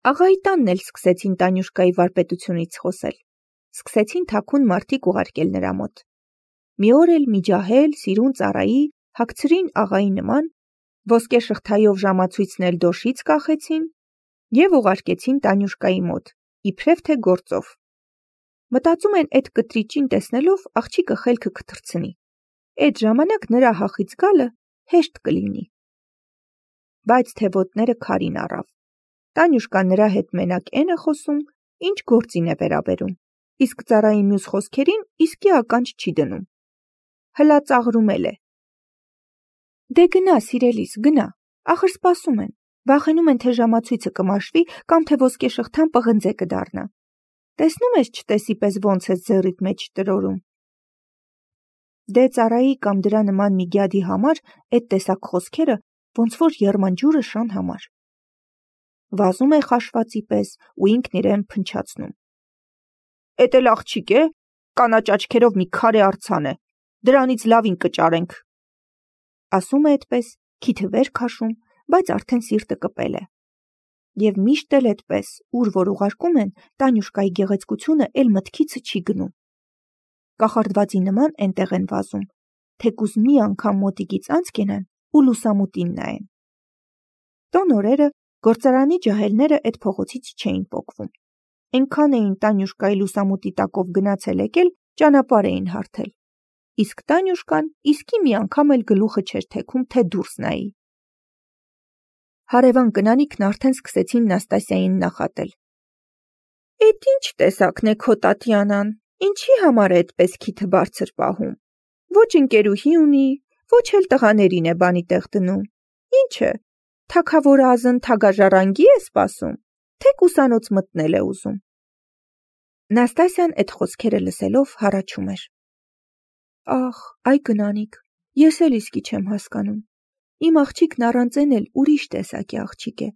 Աղայի տանն էլ սկսեցին Տանյուշկայի վարպետությունից խոսել. սկսեցին թաքուն մարդիկ ուղարկել նրա մոտ: Մի օր էլ Միջահել, Սիրուն ծառայի հագցրին աղայի նման, ոսկե շղթայով ժամացույցն էլ դոշից կախեցին և ուղարկեցին Տանյուշկայի մոտ, իբրև թե գործով: Մտածում են էդ կտրիճին տեսնելով աղջիկը խելքը կթռցնի, էդ ժամանակ նրա հախից գալը հեշտ կլինի: Բայց թե ոտները քարին առավ: Տանյուշկան նրա հետ մենակ էն է խոսում, ինչ գործին է վերաբերում, իսկ ծառայի մյուս խոսքերին իսկի ականջ չի դնում: Հլա ծաղրում էլ է: Դե գնա սիրելիս, գնա, ախր սպասում են, վախենում են, թե ժամացույցը կմաշվի կամ թե ոսկե շղթան պղնձե կդառնա: Տեսնում ես չտեսի պես ոնց ես ձեռիդ մեջ տրորում: Դե ծառայի կամ դրա նման մի գյադի համար էդ տեսակ խոսքերը ոնց որ եռմանջուրը շան համար: Վազում է խաշվածի պես ու ինքն իրեն փնչացնում: Էդ էլ աղջիկ է, կանաչ աչքերով մի քարե արձան է, դրանից լավին կճարենք: Ասում է էդպես, քիթը վեր քաշում, բայց արդեն սիրտը կպել է: Եվ միշտ էլ էդպես, ուր որ ուղարկում են, Տանյուշկայի գեղեցկությունը էլ մտքիցը չի գնում: Կախարդվածի նման էնտեղ են վազում, թեկուզ մի անգամ մոտիկից անց կենան ու լուսամուտին նայեն: Տոն օրերը գործարանի ջահելները էդ փողոցից չէին պոկվում: Էնքան էին Տանյուշկայի լուսամուտի տակով գնացել եկել, ճանապարհ էին հարթել: Իսկ Տանյուշկան իսկի մի անգամ էլ գլուխը չէր թեքում, թե դուրս նայի: Հարևան կնանիքն արդեն սկսեցին Նաստասիային նախատել: Էդ ինչ տեսակն է քո Տատյանան, ինչի համար է էդպես քիթը բարձր պահում: Ոչ ընկերուհի ունի, ոչ էլ տղաներին է բանի տեղ դնում: Ինչ է, թագավորազն թագաժառանգի է սպասում, թե ուսանոց մտնել է ուզում: Նաստասիան էդ խոսքերը լսելով հառաչում էր: Ախ, այ կնանիք, ես էլ իսկի չեմ հասկանում: Իմ աղջիկն առանց էն էլ ուրիշ տեսակի աղջիկ է: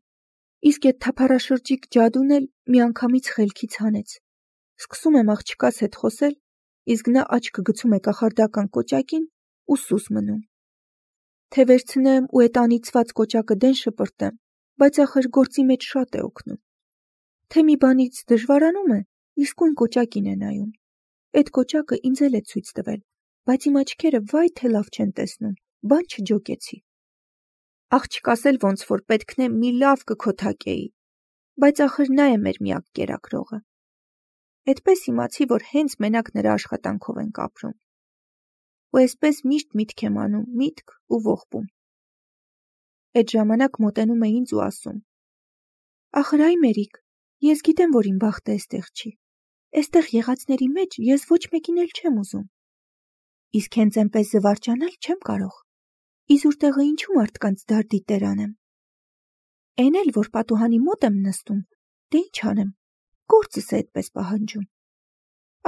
Իսկ էդ թափառաշրջիկ ջադուն էլ միանգամից խելքից հանեց: Սկսում եմ աղջկաս հետ խոսել, իսկ նա աչքը գցում է կախարդական կոճակին ու սուս մնում: Թե վերցնեմ ու էդ անիծված կոճակը դեն շպրտեմ, բայց ախր գործի մեջ շատ է օգնում: Թե մի բանից դժվարանում է, իսկույն կոճակին է նայում: Էդ կոճակը ինձ էլ է ցույց տվել, բայց իմ աչքերը վայ թե լավ չեն տեսնում, բան չջոկեցի: Աղջկաս էլ ոնց որ պետքն է մի լավ կքոթակեի, բայց ախր նա է մեր միակ կերակրողը: Էդպես իմացի, որ հենց մենակ նրա աշխատանքով ենք ապրում: Ու էսպես միշտ միտք եմ անում, միտք ու ողբում: Էդ ժամանակ մոտենում է ինձ ու ասում. Ախր այ Մերիկ, ես գիտեմ, որ իմ բախտը էստեղ չի: Էստեղ եղածների մեջ ես ոչ մեկին էլ չեմ ուզում: Իսկ հենց էնպես զվարճանալ չեմ կարող: Իզուր տեղը ինչու մարդկանց դարդի տեր անեմ: Էն էլ որ պատուհանի մոտ եմ նստում, դե ինչ անեմ, գործս է էդպես պահանջում: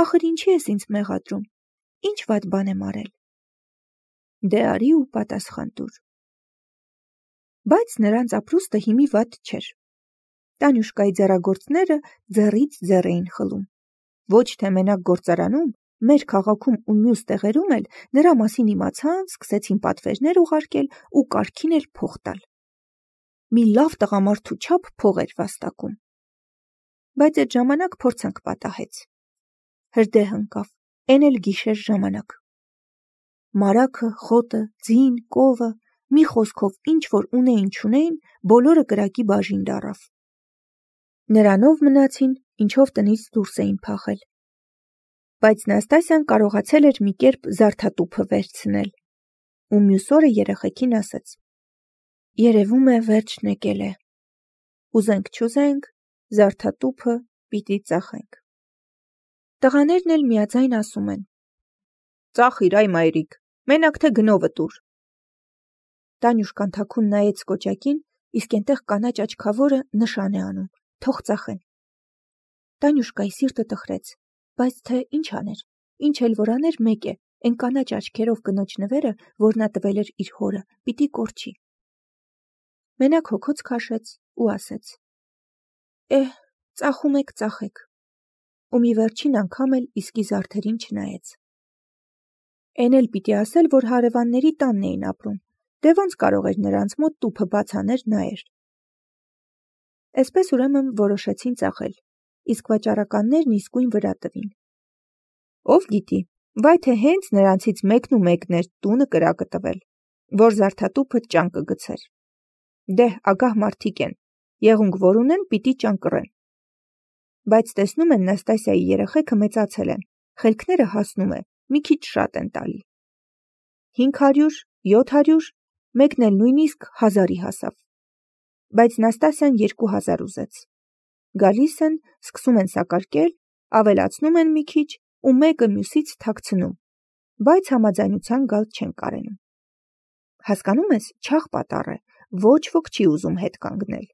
Ախր ինչի ես ինձ մեղադրում, ինչ վատ բան եմ արել: Դե արի ու պատասխան տուր: Բայց նրանց ապրուստը հիմի վատ չէր: Տանյուշկայի ձեռագործները ձեռից ձեռ էին խլում: Ոչ թե մենակ գործարանում, մեր քաղաքում ու մյուս տեղերում էլ նրա մասին իմացան, սկսեցին պատվերներ ուղարկել ու կարգին էլ փող տալ: Մի լավ տղամարդու չափ փող էր վաստակում: Բայց էդ ժամանակ փորձանք պատահեց: Հրդեհ ընկավ, էն էլ գիշեր ժամանակ: Մարագը, խոտը, ձին, կովը, մի խոսքով ինչ որ ունեին չունեին, բոլորը կրակի բաժին դառավ: Նրանով մնացին, ինչով տնից դուրս էին փախել: Բայց Նաստասիան կարողացել էր մի կերպ զարդատուփը վերցնել: Ու մյուս օրը երեխեքին ասեց. Երևում է վերջն եկել է: Ուզենք չուզենք, զարդատուփը պիտի ծախենք: Տղաներն էլ միաձայն ասում են. Ծախիր այ մայրիկ, մենակ թե գնովը տուր: Տանյուշկան թաքուն նայեց կոճակին, իսկ էնտեղ կանաչ աչքավորը նշան է անում, թող ծախեն: Տանյուշկայի սիրտը տխրեց, բայց թե ինչ աներ, ինչ էլ որ աներ մեկ է, էն կանաչ աչքերով կնոջ նվերը, որ նա տվել էր իր հորը, պիտի կորչի: Մենակ հոգոց քաշեց ու ասեց. ծախում եք ծախեք: Ու մի վերջին անգամ էլ իսկի զարդերին չնայեց: Էն էլ պիտի ասել, որ հարևանների տանն էին ապրում, դե ոնց կարող էր նրանց մոտ տուփը բաց աներ նայեր: Էսպես ուրեմն որոշեցին ծախել, իսկ վաճառականներն իսկույն վրա տվին։ Ով գիտի, վայ թե հենց նրանցից մեկն ու մեկն էր տունը կրակը տվել, որ զարդատուփը ճան կգցեր։ Դե, ագահ մարդիկ են, եղունգ որ ունեն, պիտի ճան կռեն։ Բայց տեսնում են Նաստասիայի երեխեքը մեծացել են, խելքները հասնում է, մի քիչ շատ են տալի։ 500, 700, մեկն էլ նույնիսկ 1000-ի հասավ։ Բայց Նաստասիան 2000 ուզեց։ Գալիս են, սկսում են սակարկել, ավելացնում են մի քիչ ու մեկը մյուսից թաքցնում, բայց համաձայնության գալ չեն կարենում։ Հասկանում ես, չաղ պատառ է, ոչ ոք չի ուզում հետ կանգնել։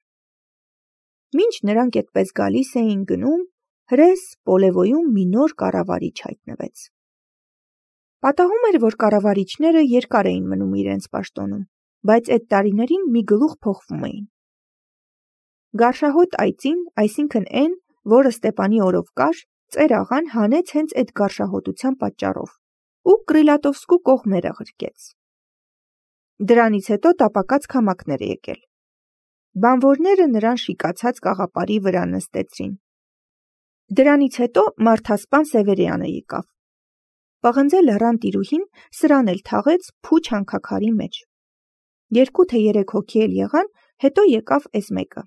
Մինչ նրանք այդպես գալիս էին գնում, հրես Պոլևոյում մի նոր կառավարիչ հայտնվեց։ Պատահում էր, որ կառավարիչները երկար էին մնում իրենց պաշտոնում, բայց այդ տարիներին մի գլուխ փոխվում էին։ Գարշահոտ այծին, այսինքն այն, որը Ստեպանի օրով կար, ծեր աղան հանեց հենց այդ գարշահոտության պատճառով ու Կրիլատովսկու կողմերը ղրկեց։ Դրանից հետո տապակած քամակներ եկել։ Բանվորները նրան շիկացած կաղապարի վրա նստեցրին։ Դրանից հետո մարդասպան Սևերյանը եկավ։ Պղնձե լեռան տիրուհին սրան էլ թաղեց փուչ հանքաքարի մեջ։ 2 թե 3 հոգի էլ եղան, հետո եկավ էս մեկը։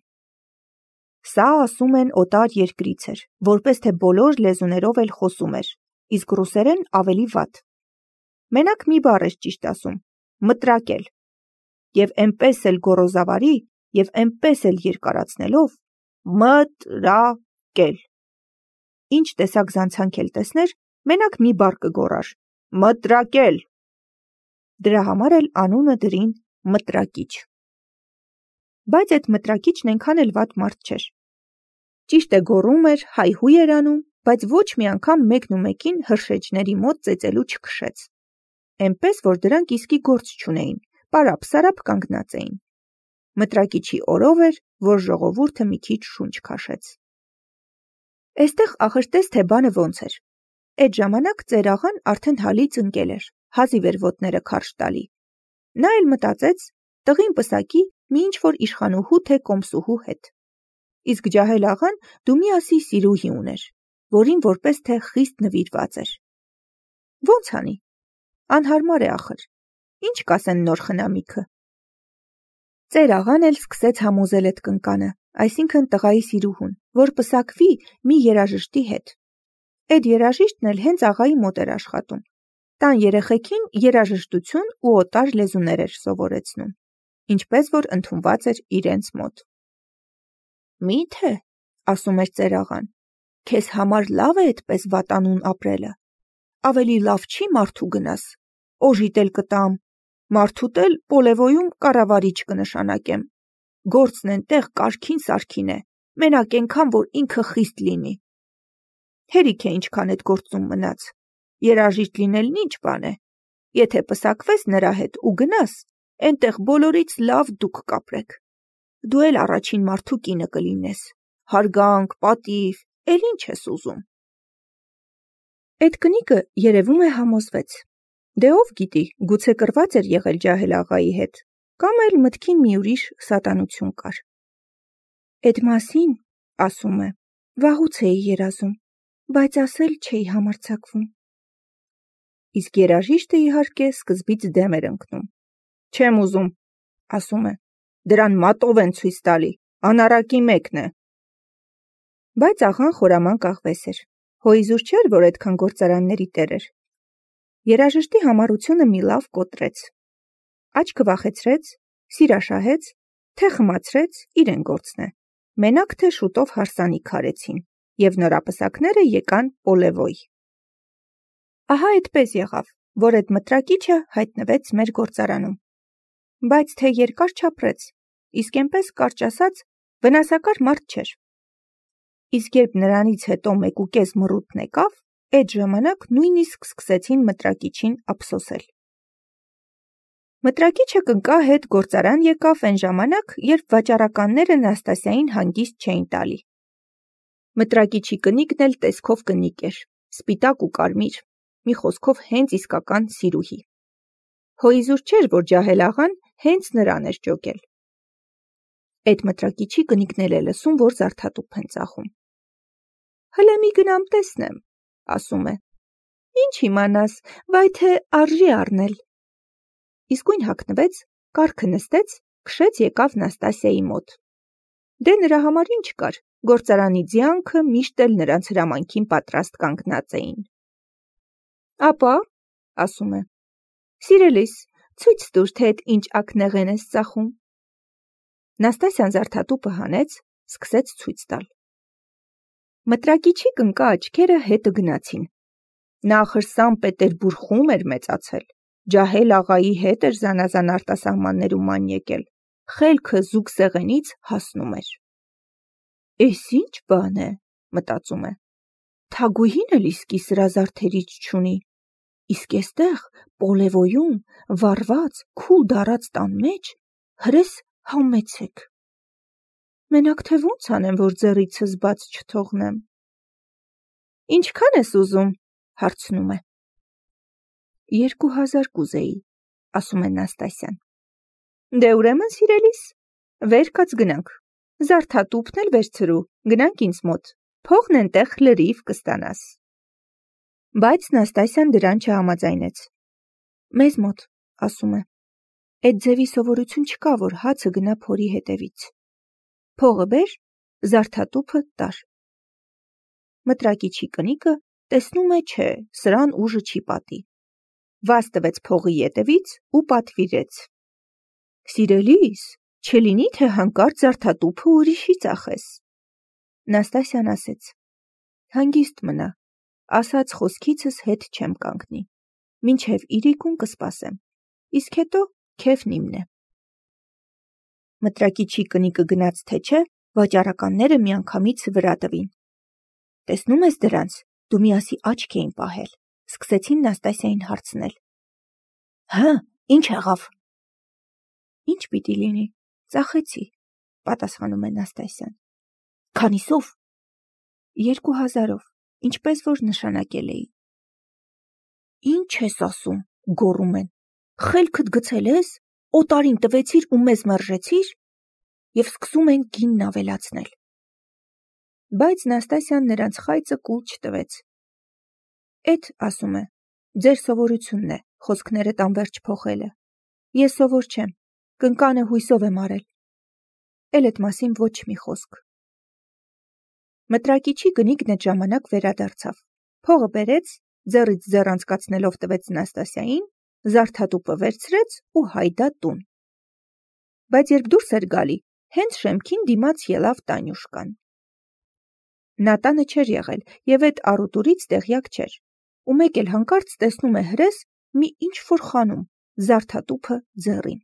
Սա ասում են օտար երկրից էր, որպես թե բոլոր լեզուներով էլ խոսում էր, իսկ ռուսերեն ավելի վատ։ Մենակ մի բառ էր ճիշտ ասում՝ մտրակել։ Եվ էնպես էլ գոռոզավարի, եւ էնպես էլ երկարացնելով մտրակել։ Ինչ տեսակ զանցանք էլ տեսներ, մենակ մի բառ կգոռար՝ մտրակել։ Դրա համար էլ անունը դրին մտրակիչ։ Բայց այդ մտրակիչն այնքան էլ վատ մարդ չէր։ Ճիշտ է գոռում էր, հայհույ էր անում, բայց ոչ մի անգամ մեկն ու մեկին հրշեջների մոտ ծեծելու չքշեց։ Էնպես, որ դրանք իսկի գործ չունեին, պարապ-սարապ կանգնած էին։ Մտրակիչի օրով էր, որ ժողովուրդը մի քիչ շունչ քաշեց։ Էստեղ ախր թե բանը ոնց էր։ Այդ ժամանակ ծեր աղան արդեն հալից ընկել էր, հազիվ էր ոտները քարշ տալի։ Նա էլ մտածեց, տղին պսակի մի ինչ-որ իշխանուհու թե կոմսուհու հետ։ Իսկ ջահել աղան դու մի ասի սիրուհի ուներ, որին որպես թե խիստ նվիրված էր։ Ոնց անի։ Անհարմար է ախր։ Ինչ կասեն նոր խնամիքը։ Ծեր աղան էլ սկսեց համոզել այդ կնկանը, այսինքն տղայի սիրուհուն, որ պսակվի մի երաժշտի հետ։ Այդ երաժիշտն էլ հենց աղայի մոտ էր աշխատում։ Տան երեխեքին երաժշտություն ու օտար լեզուներ էր սովորեցնում, ինչպես որ ընդունված էր իրենց մոտ։ Մի՞թե, ասում էր ծեր աղան, քեզ համար լավ է այդպես վատանուն ապրելը։ Ավելի լավ չի մարդու գնաս, օժիտ էլ կտամ, մարդուտ էլ Պոլևոյում կառավարիչ կնշանակեմ։ Գործն ենտեղ կարգին սարքին է, մենակ ենքան, որ ինքը խիստ լինի։ Հերիք է ինչքան այդ գործում մնաց։ Երաժիշտ լինելն ինչ բան է։ Եթե պսակվես նրա հետ ու գնաս, ենտեղ բոլորից լավ դուք կապրեք։ Դու էլ առաջին մարդու կինը կլինես։ Հարգանք, պատիվ, էլ ինչ ես ուզում։ Այդ կնիկը երևում է համոզվեց։ Դե ով գիտի, գուցե կռված էր եղել ջահել աղայի հետ, կամ էլ մտքին մի ուրիշ սատանություն կար։ Այդ մասին, ասում է, վաղուց էի երազում, բայց ասել չէի համարձակվում։ Իսկ երաժիշտը իհարկե սկզբից դեմ էր ընկնում։ Չեմ ուզում, ասում է, դրան մատով են ցույց տալի, անառակի մեկն է։ Բայց աղան խորամանկ աղվես էր, հոիզուր չէր, որ այդքան գործարանների տեր էր։ Երաժշտի համառությունը մի լավ կոտրեց։ Աչքը վախեցրեց, սիրաշահեց, թե խմացրեց, իրեն գործն է։ Մենակ թե շուտով հարսանիք արեցին, եւ նորապսակները եկան Պոլևոյ։ Ահա այդպես եղավ, որ այդ մտրակիչը հայտնվեց մեր գործարանում։ Բայց թե երկար չապրեց, իսկ այնպես կարճ ասած, վնասակար մարդ չէր։ Իսկ երբ նրանից հետո 1.5 մռութն եկավ, այդ ժամանակ նույնիսկ սկսեցին մտրակիչին ափսոսել։ Մտրակիչը կնկա հետ գործարան եկավ այն ժամանակ, երբ վաճառականները Նաստասիային հանգիստ չէին տալի։ Մտրակիչի կնիկն էլ տեսքով կնիկ էր, սպիտակ ու կարմիր, մի խոսքով հենց իսկական սիրուհի։ Հոիզուր չէր, որ ջահել աղան հենց նրան էր ճոգել։ Էդ մտրակիչի կնիկն էլ է լսում, որ զարդատուփ են ծախում։ Հլը մի գնամ տեսնեմ, ասում է։ Ինչ իմանաս, վայ թե արժի առնել։ Իսկույն հագնվեց, կառքը նստեց, քշեց եկավ Նաստասիայի մոտ։ Դե նրա համար ինչ կար, գործարանի ձյանքը միշտ էլ նրանց հրամանքին պատրաստ կանգնած էին։ Ապա, ասում է, սիրելիս, ցույց տուր, թե էդ ինչ ակնեղեն ես ծախում։ Նաստասիան զարդատուփը հանեց, սկսեց ցույց տալ։ Մտրակիչի կնկա աչքերը հետը գնացին։ Նա ախր Սան Պետերբուրգում էր մեծացել, ջահել աղայի հետ էր զանազան արտասահմաններում ման եկել, խելքը զուգ սեղենից հասնում էր։ Էս ինչ բան է, մտածում է, թագուհին էլ իսկի սրա զարդերից չունի, իսկ էստեղ Պոլևոյում վառված քուլ դարած տան մեջ հրես համեցեք։ Մենակ թե ոնց անեմ, որ ձեռիցս բաց չթողնեմ։ Ինչքան ես ուզում, հարցնում է։ 2000 կուզեի, ասում է Նաստասիան։ Դե ուրեմն սիրելիս, վեր կաց գնանք, զարդատուփն էլ վերցրու, գնանք ինձ մոտ, փողն էնտեղ լրիվ կստանաս։ Բայց Նաստասիան դրան չհամաձայնեց։ Մեզ մոտ, ասում է, այդ ձևի սովորություն չկա, որ հացը գնա փորի հետևից։ Փողը բեր, զարդատուփը տար։ Մտրակիչի կնիկը տեսնում է, չէ, սրան ուժը չի պատի։ Վազ տվեց փողի ետևից ու պատվիրեց։ Սիրելիս, չլինի, թե հանկարծ զարդատուփը ուրիշի ծախես։ Նաստասիան ասեց. Հանգիստ մնա, ասած խոսքիցս հետ չեմ կանգնի, մինչև իրիկուն կսպասեմ, իսկ հետո քեֆն իմն է։ Մտրակիչի կնիկը գնաց թե չէ, վաճառականները միանգամից վրա տվին։ Տեսնում ես դրանց, դու միասի աչք էին պահել, սկսեցին Նաստասիային հարցնել։ Հը, ինչ եղավ։ Ինչ պիտի լինի, ծախեցի, պատասխանում է Նաստասիան։ Քանիսով։ 2000-ով, ինչպես որ նշանակել էի։ Ինչ ես ասում, գոռում են։ Խելքդ գցել ես, օտարին տվեցիր ու մեզ մերժեցիր, և սկսում են գինն ավելացնել։ Բայց Նաստասիան նրանց խայծը կուլ չտվեց։ Էդ, ասում է, ձեր սովորությունն է, խոսքներդ անվերջ փոխելը։ Ես սովոր չեմ, կնկանը հույսով եմ արել։ Էլ էդ մասին ոչ մի խոսք։ Մտրակիչի կնիկն այդ ժամանակ վերադարձավ։ Փողը բերեց, ձեռից ձեռ անցկացնելով տվեց Նաստասիային, զարդատուփը վերցրեց ու հայդա տուն։ Բայց երբ դուրս էր գալի, հենց շեմքին դիմաց ելավ Տանյուշկան։ Նա տանը չէր եղել և այդ առուտուրից տեղյակ չէր, ու մեկ էլ հանկարծ տեսնում է հրես մի ինչ-որ խանում, զարդատուփը ձեռին։